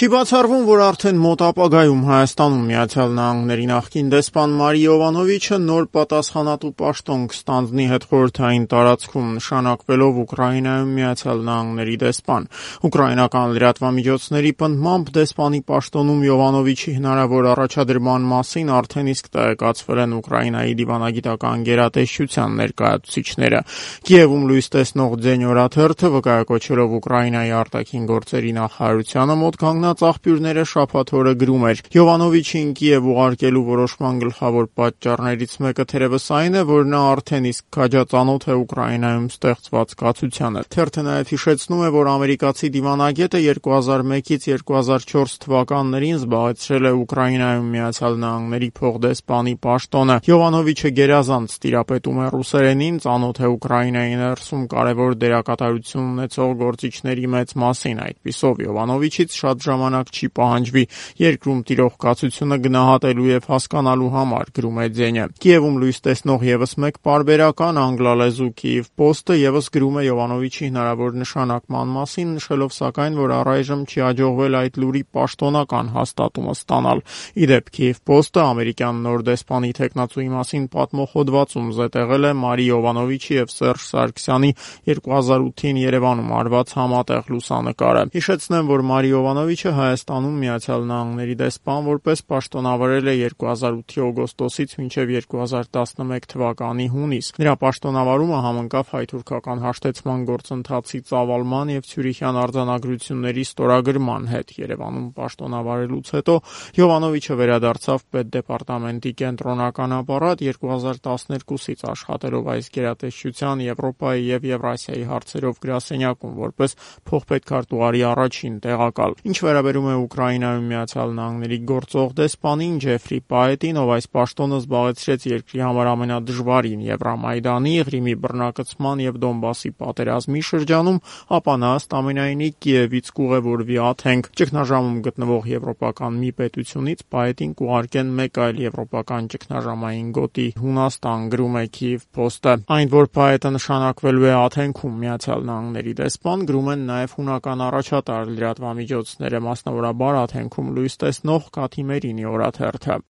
Չի բացառվում, որ արդեն մոտ ապագայում Հայաստանում Միացյալ Նահանգների նախկին դեսպան Մարի Յովանովիչը նոր պատասխանատու պաշտոն կստանձնի հետխորհրդային տարածքում, նշանակվելով Ուկրաինայում Միացյալ Նահանգների դեսպան։ Ուկրաինական լրատվամիջոցների պնդմամբ դեսպանի պաշտոնում Յովանովիչի հնարավոր առաջադրման մասին արդեն իսկ տեղեկացվել են Ուկրաինայի դիվանագիտական գերատեսչության ներկայացուցիչները։ Կիևում լույս տեսնող Ձեն օրաթերթը վկայակոչելով Ուկրաինայի արտաքին գործերի նախարարությանը մոտ կանգնած աղբյուրները շաբաթ օրը գրում էր. Յովանովիչին Կիև ուղարկելու որոշման գլխավոր պատճառներից մեկը թերևս այն է, որ նա արդեն իսկ քաջածանոթ է Ուկրաինայում ստեղծված կացությանը։ Թերթը նաև հիշեցնում է, որ ամերիկացի դիվանագետը 2001-ից 2004 թվականներին զբաղեցրել է Ուկրաինայում Միացյալ Նահանգների փոխդեսպանի պաշտոնը։ Յովանովիչը գերազանց տիրապետում է ռուսերենին, ծանոթ է Ուկրաինայի ներսում կարևոր դերակատարություն ունեցող գործիչների մեծ մասին։ Այդպիսով Յովանովիչից շատ ժամանակ չի պահանջվի երկրում տիրող կացությունը գնահատելու եւ հասկանալու համար, գրում է Ձենը։ Կիևում լույս տեսնող եւս մեկ պարբերական անգլալեզու Kyiv Post-ը եւս գրում է Յովանովիչի հնարավոր նշանակման մասին, նշելով սակայն, որ առայժմ չի հաջողվել այդ լուրի պաշտոնական հաստատումը ստանալ։ Իդեպ Kyiv Post-ը ամերիկյան նոր դեսպանի թեկնածուի մասին պատմող հոդվածում զետեղել է Մարի Յովանովիչի եւ Սերժ Սարգսյանի 2008-ին Երևանում արված համատեղ լուսանկարը։ Հիշեցնեմ, որ Մարի Յովանովիչը Հայաստանում Միացյալ Նահանգների դեսպան որպես պաշտոնավարել է 2008-ի օգոստոսից մինչև 2011 թվականի հունիս։ Նրա պաշտոնավարումը համընկավ հայ-թուրքական հաշտեցման գործընթացի ծավալման եւ Ցյուրիխյան արձանագրությունների ստորագրման հետ։ Երևանում պաշտոնավարելուց հետո Յովանովիչը վերադարձավ պետդեպարտամենտի կենտրոնական ապարատ 2012-ից աշխատելով այս գերատեսչության Եվրոպայի եւ Եվրասիայի հարցերով գրասենյակում որպես փոխպետքարտուղարի առաջին տեղակալ։ Ինչ վերաբերում է Ուկրաինայում Միացյալ Նահանգների գործող դեսպանին Ջեֆրի Պայետին, ով այս պաշտոնը զբաղեցրեց երկրի համար ամենադժվարին Եվրամայդանի, Ղրիմի բռնակցման եւ Դոնբասի պատերազմի շրջանում, ապա նա ըստ ամենայնի Կիևից կուղևորվի Աթենք։ Ճգնաժամում գտնվող եվրոպական մի պետությունից Պայետին կուղարկեն մեկ այլ եվրոպական ճգնաժամային գոտի Հունաստան, գրում է Kyiv Post-ը։ Այն, որ Պայետը նշանակվելու է Աթենքում Միացյալ Նահանգների դեսպան, գրում են նաև հունական առաջատար լրատվամիջոցները, մասնավորաբար Աթենքում լույս տեսնող Կաթիմերինի օրաթերթը։